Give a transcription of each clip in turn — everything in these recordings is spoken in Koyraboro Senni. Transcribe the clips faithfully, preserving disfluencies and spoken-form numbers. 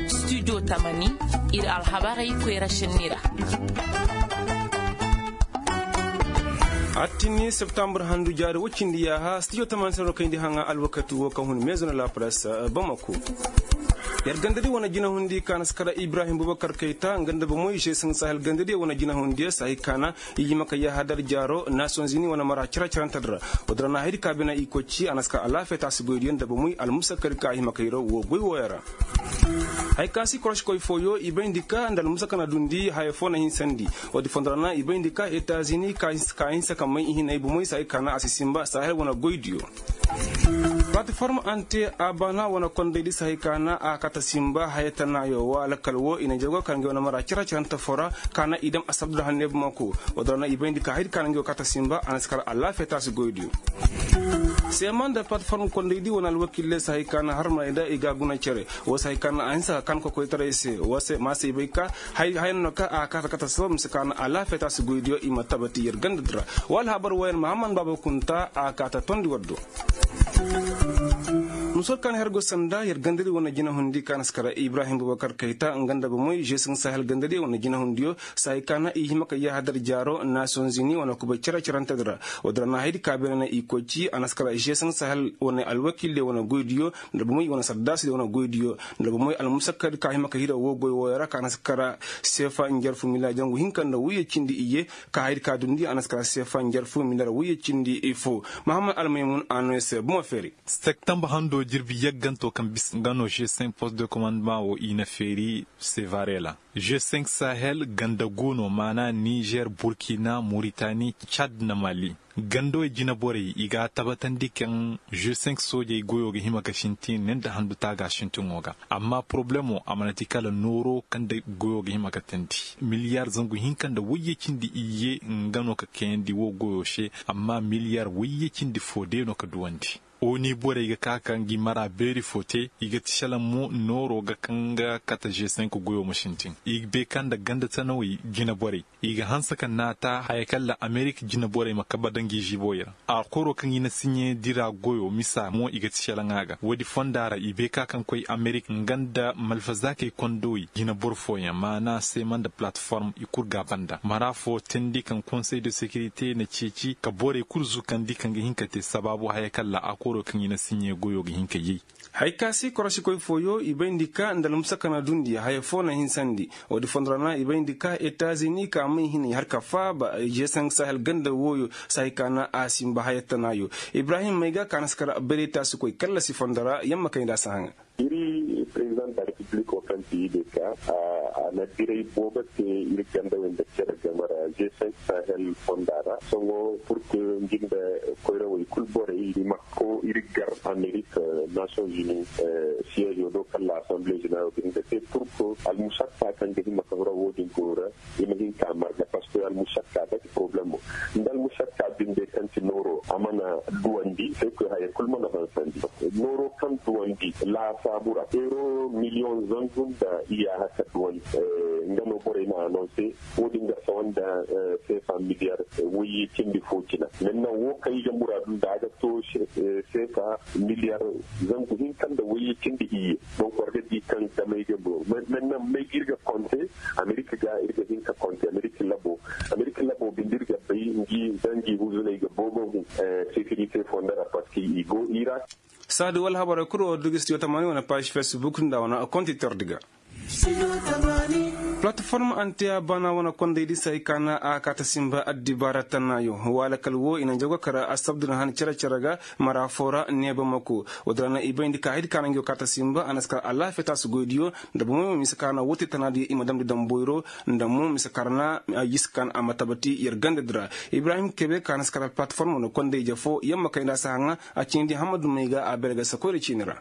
Studio tamani, ir alhabarey koyra šenni ra. Attini septambur handu jaari woy cindi yaaha studio tamani se no kayndi haŋa alwakati wo kaŋ hun meezo na la presse, bamako. Yer gandadi wane jinahundi ka na si kara ibrahim bubakar kayta nga nda bomoy žeesin sahel gandadi wane jinahundiyo sahi kaana i hima ka yaaha dar jaaro nasiyonzini wane mara cere-cerante di ra. Woodin ra na haydi ka bina i koy ci a na si kara alaafiya taasi goydiyo nda bomoy almusakka di ka a hima ka hiraw woo goy wooyo ra. Haya ka si koroškoy fooyo i bayndi ka nda almusakka na dundi haya foo na hinsandi. Woodi fondo ra na i bayndi ka etazini ka hinsa ka may ihinay bomoy sahi kaana a si sinba sahel wane goydiyo. Platiform ante a baana wane kondaydi sahi kaana a kaata sinba haya tanaayo wa lakkal woo i na jargo kar ngey wane mara cere-cerante foo ra kaana i dam asabdu da hanne bamako. Woodi ra na i bayndi ka haydi kaana ngey wo kaata sinba a na si kar alaafiya taasi goydiyo. Seema nda platiform kondaydi wane alwakiiley sahi kaana harmaney da i ga a guna cere. Woo sahi kaana a hinsa ka kaan kokoytaray se woo se ma se i bay ka haya no ka a kaata kaata sabab mise kaana alaafiya taasi goydiyo i ma tabati yer ganda di ra. Woo alhabar wooyaŋ mahamman baaba kunta a kaata tondi war do. Musor kaŋ her go sanda yer gandadi wane jinahundi kaŋ na si kara ibrahim bubakar kayta nga nda bomoy žeesin sahel gandadi wane jinahundiyo sahi kaana i hima ka yaaha dar jaaro nasiyonzini wane kubay cere-cerante di ra. Woodi ra na haydi ka beene na i koy ci a na si kara žeesin sahel wane alwakiiley wane goydiyo nda bomoy wane sardaasidi wane goydiyo nda bomoy almusakka di ka hima ka hira woo goy wooyo ra kaŋ a na si kara seefa njarfu mila jangu hinka nda woyye cindi iyye. Ka haydi ka dundi a na si kara seefa njarfu mila ra woyye cindi foo. Mahamman almaymun a no yer se bomo feeri. Septembre hando jirbi yagganto kaŋ bisa nga no g cinq poste de commandement wo i na feeri sevare ra. G cinq sahel ganda gu no maana nizer burkina muritani cad na mali. Gandawey jineborey i ga a tabatandi kaŋ g cinq soojey goyo ga hima ga sintin ne nda handu taaga sintiŋo ga. Amma porobalemo a mana ti kala nooro kaŋ nda goyo ga hima ga teendi miliyar zangu hinka nda wayye cindi iyye nga no ka kayandi wo goyo se. Amma miliyar wayye cindi fo day no ka duwandi. Oni borey ga ka ka ngi mara beeri fo te i ga ti selaŋ mo nooro ga kaŋ ga kate g cinq goyo ma sintin. I ga bay ka nda ganda tanawey jineborey i ga hanse ka naata haya kaŋ ra amerik jineborey ma kabe da ngi ziiboy ra. A koro kaŋ i na siɲe dira goyo misa mo i ga ti selaŋ a ga woodi fonda ra i bay ka kaŋ koy amerik nga nda malfazaakey kondowey jineboro fooyaŋ maana seema nda palatiform i kul ga a banda mara fo teendi kaŋ konsey de sekirite na ceeci ka borey kul zukandi kaŋ ga hin ka te sabaabu haya kaŋ ra a koro kaŋ i na siɲe goyo ga hin ka yay. Haya ka se korošikoy fooyo i bayndi ka nda almusaka na dundi haya foo na hinsandi. Woodi fondo ra na i bayndi ka etazini ka may hinay har ka faaba g cinq sahel ganda wooyo sahi ka na a sinba haya tanaayo. Ibrahim mayga ka na si kar bayray taasikoy kallasi fondo ra yamma kay nda a si haŋa. Iri president da republiko kaŋ ti i de ka a na diray boobo te iri gandawey nda cere game ra g cinq sahel fonda ra sohõ pur que ngi nda koyrawey kul borey i ma ko iri gar amerik nations unis siège do kaŋ la assemblée générale ga hin ga te pur que almusakka kaŋ ga hima ka hura woodin go ra i ma hin ka marga parce que almusakka da ti problemo nda almusakka binde kaŋ ti nooro a mana duwandi se koy haya kul mana hansandi. Nooro kaŋ duwandi laasaabu ra euro miliyoŋ zangu nda iyaaha ka duwandi. Nga no borey na anonse woodin ga sawa nda seefa miliyar wayye cindi fo cina. Mennan wo kaŋ i ga muraadu nda a ga to seefa miliyar zangu hinka nda wayye cindi iyye. Donc war ga di kaŋ damey ga bo mennan may ga ir ga konte amerika ga ir ga hin ka konte amerika labo. Amerika labo binde ir ga bay ngi da ngi huzuney ga boobo hun sekirite fonda ra parti i go ira. Saadi wala habarey kul wo dugis yo tamani wane page facebook nda wane konti tordi ga. Platiform antiya baana wane kondaydi se ay kaana a kaata sinba addibaara tannaayo. Waala kala wo i na jago kara asabdu na han cere-cere ga mara foo ra neeba mako. Woodi ra na i bayndi ka haydi kaana ngi yo kaata sinba a na si kara alaafiya taasu goydiyo nda bomoy ma mise kaana woo te tanaadiyo i ma damndi damboyro nda mo mise kara na a jisi kaana a ma tabati yer gandadi ra. Ibrahim kebe kaana si kara platiform wane konday-ije foo yamma kay nda a si haŋa. A ciini di hammadu may ga a beere ga sakoyra ciini ra.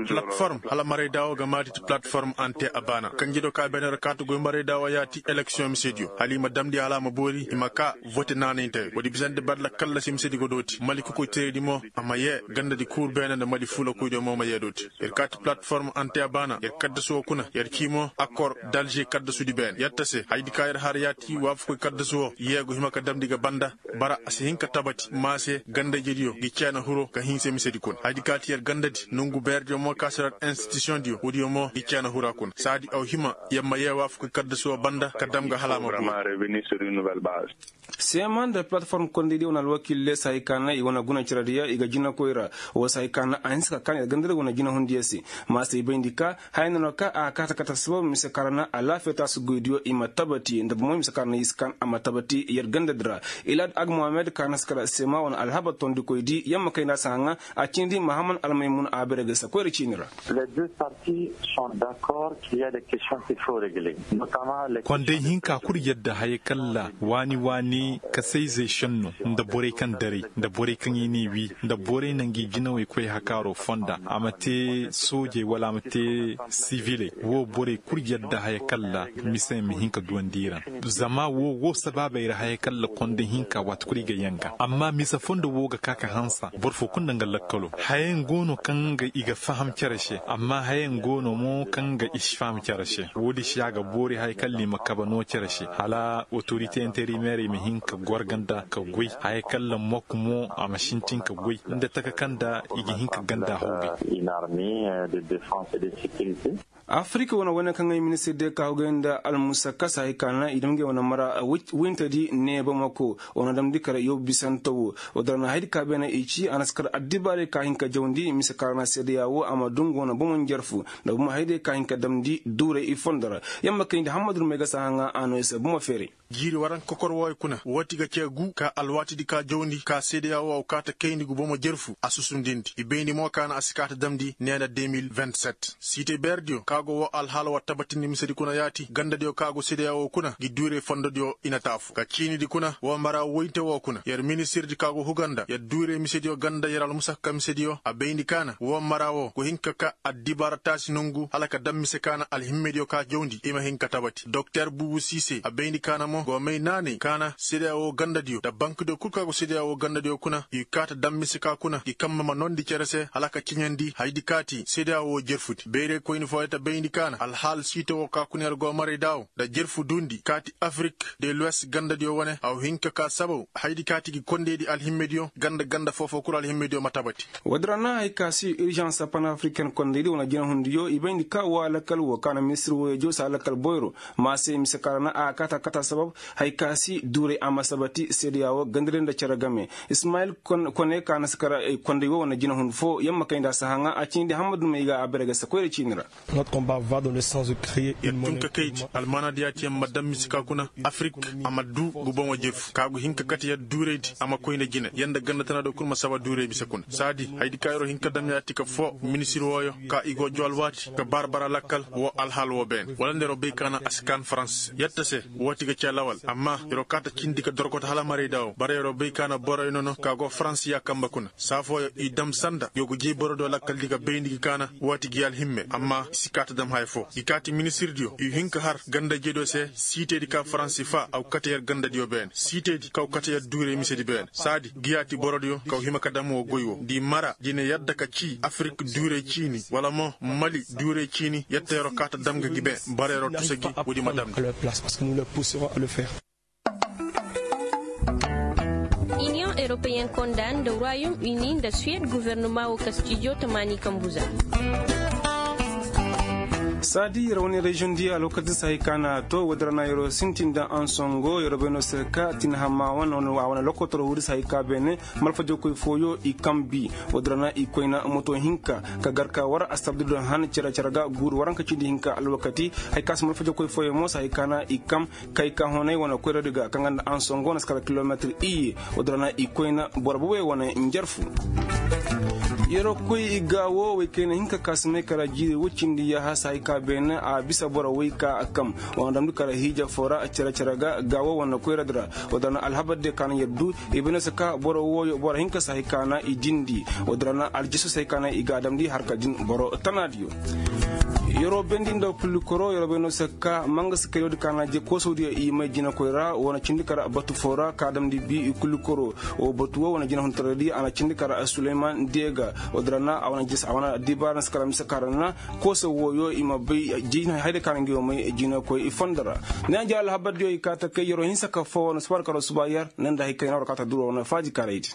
Platiform hala marayda wo ga maati ti platiform ante a baana. Kanjediyo ka beene ra kaati goy marayda wo yaati eleksiyoŋ misediyo hala i ma damndi hala a ma boori i ma kaa vote naanay nte. Woodi bisandi bari lakkal ra se misedi godooti mali kokoyteeraydi mo a ma yee gandadi kuur beene nda mali fuulakoydiyo mo ma yee dooti. Yer kaati palatform anteya baana yer kaddasu wo kuna yer cii mo akor dalže kaddasudi beene yetta se hayadi ka yer har yaati waafakoy kaddasu wo yee go hima ka damndi ga banda. Bara a si hin ka tabati maa se gandajediyo gi ceena hiro ka hinse misedi kuna hayadi ka ti yer gandadi nongu beerediyo mo ka si ra institusiyoŋdiyo woodiyo mo gi ceena hira kuna saadi aw hima yer ma yee waafakoy kaddasu wo banda ka dam ga hala a ma boori. Seema nda palatform kondaydiyo wane alwakiil leesa hay ka na i wane guna cerediyo i ga jinakoy ra. Woo se hay ka na a hinsa ka kaan yer gandadi wane jinahundiyo se. Maa se i bayndi ka haya noona ka a kaata kaata sabab mise ka ra na alaafiya taasu goydiyo i ma tabati nda bomoy mise ka ra na i si kaan a ma tabati yer gandadi ra. Ilaad agmohamed ka na si kar seema wane alhabar tondikoydi yamma kay nda a si haŋa. A ciini di mahaman almaymun a bere ga sakoyra ciini ra. Konday hinka kul yadda haya kalla waani waani kasayzey šenno nda borey kaŋ daray nda borey kaŋ i n'i wii nda borey na ngi jinawey koy hakaaro fonda a ma te soojey wala a ma te siviley woo borey kul yadda haya kalla mise ma hin ka duwandi i ra. Zama woo woo sabaabey ra haya kalla konday hinka waati kul i ga yanga amma mise fondo woo ga ka ka hansa boro foo kul nda nga lakkalo hayayaŋ go no kaŋ ga i ga faham cere se amma hayayaŋ go no mo kaŋ ga i si faham cere se. Woodi se a ga boori haya kalla i ma kabe no cere se hala otorite interimeerey ma hin ka gorganda ka goy haya kalla mok mo a ma sintin ka goy nda taka kaŋ nda i ga hin ka ganda hawgay. Afirik wane wayne kaŋ ay ministir de ka hawgay nda almusakasa hay ka na i dam ngey wane mara wintedi neeba mako wane damndi kar yow bisante wo. Woo dira na haydi ka beene i ci a na si kar addibaarey ka hin ka jawndi mise ka ra na seedeya wo a ma dungu wane bomo njarfu nda bomo hayday ka hin ka damndi duuray i fondo ra. Yamma kayndi hammadu may ga si a haŋa a no i se bomo feeray. Jiiri waranka kokor wooyo kuna wooti ga cee gu ka alwaatidi ka jawndi ka seedeya wo a wa kaata kayndi gu bomo jerfu a susundindi i bayndi mo ka na a si kaata damndi neena de mil vingt-sept. Siite beerediyo ka go woo alhaala wa tabatindi misedi kuna yaati gandadiyo ka go seedeya wo kuna gi duuray fondodiyo i na taafu ka ciinidi kuna woo mara woyinte woo kuna yer ministirdi ka go huga nda yer duuray misediyo ganda yer almusakka misediyo a bayndi ka na woo mara woo go hin ka ka addibaara taasi nongu hala ka dam mise ka na alhimmediyo ka jawndi i ma hin ka tabati doktor buubu siise a bayndi ka na mo go may naanay ka na seedeya woo gandadiyo nda bankdiyo kul ka go seedeya woo gandadiyo kuna i kaata dam mise ka kuna i kambe ma noondi cere se hala ka ciɲandi hayadi kaati seedeya woo jerfudi bayray koyni fooyo ta bayndi ka na alhaal siite woo ka kuna yer go maray daawo nda jerfu duundi kaati afirik de luwes gandadiyo wane a wa hin ka ka sabaw hayadi kaati gi kondaydi alhimmediyo ganda ganda foofoo kul alhimmediyo ma tabati. Woodi ra na hay ka si irjans panafriken kondaydi wane jinahundiyo i bayndi ka woo alakal woo ka na ministir wooyo jawsa alakal boyro maa se mise ka ra na a kaata kaata sabab hay ka si duuray a ma sabati seedeya woo gandadi nda cere game. Ismayil kone ka na si kar konday woo wane jinahun foo yamma kayndi a si haŋa a ciini di hammadu may ga a bere ga si koyra ciini ra. Yer tun ka kaydi almaanaa di yaati yer ma dam mise ka kuna afirik a ma duu ngu bomo jefu ka go hin ka kate yer duuraydi a ma koy nda jine yer nda ganda tana do kul ma saba duuray mise kuna saadi hayadi ka yeroo hin ka dam yaati ka foo ministir wooyo ka i go joo alwaati ka baara bara lakkal woo alhaal woo beene wala nda yeroo bay ka na a si kaan farans yetta se. Wooti ga cee lawal amma yeroo kaata cindi ka dorkota hala marayda woo bara yeroo bay ka na boroyo nono ka go farans yaa kambe kuna saa fooyo i dam sanda yo go jay borodiyo lakkaldi ga bayndi gi ka na wooti gi alhimme amma i si kaata dam haya foo gi kaati ministirdiyo i hin ka har gandajediyo se siitedi ka faransi faa a go kate yer gandadiyo beene siitedi ka go kate yer duuray misedi beene saadi gi yaati borodiyo ka go hima ka dam woo goy woo nda i mara nda i na yadda ka cii afirik duuray ciini wala mo mali duuray ciini yetta yeroo kaata dam ga gi beene bara yeroo tusa gi woodi ma damndi. Iniyoŋ eropeyen konda nda royom uni nda suwed guvernoma wo ka stijo tamaani kambu za. Saadi yer wane reziyoŋ di alwakati se hay ka na a to woodi ra na yeroo sintin nda ansongo yeroo bay no se ka tinhamma wane a wane lokotoro wuri se hay ka beene malfajokoy fooyo i kambi. Woodi ra na i koyna moto hinka ka gar ka war astabdudun han cere cere ga guuru waranka cindi hinka alwakati. Hay ka se malfajokoy fooyo mo se hay ka na i kam kay ka honay wane koyradi ga kaŋ ga nda ansongo na si kala kilometir iyye. Woodi ra na i koyna boro bobey wane njarfu. Yeroo koy i gaawo wey kayna hinka ka si may kara jiiri woy cindi yaaha se hay ka beene a bisa boro wey ka a kam wane damndi kara hiija foo ra cere cere ga gaawo wane koyradi ra. Woodi ra na alhabar diyo ka na yer duu i bay no se ka boro wooyo boro hinka se hay ka na i dindi. Woodi ra na aljisu se hay ka na i ga a damndi harka din boro tanaadiyo. Yeroo bendi nda kulli koro yeroo bay no se ka mangasi kayoo di ka na je koosoo di i may jinakoy ra wane cindi kar batu foo ra ka damndi bi i kulli koro. Wo batu wo wane jinahuntaray di a na cindi kar suleyman deega. Wo di ra na a wane jis a wane dibaara na se kar a mise ka ra na koosoo wooyo i ma bay jina hayda ka na ngi wo may jinakoy i fondo ra. Ne a je alhabar diyo i ka ta kay yeroo hinsa ka foo wane suba ra kar suba yer ne nda hay kay na war ka ta duro wane faaji karay di.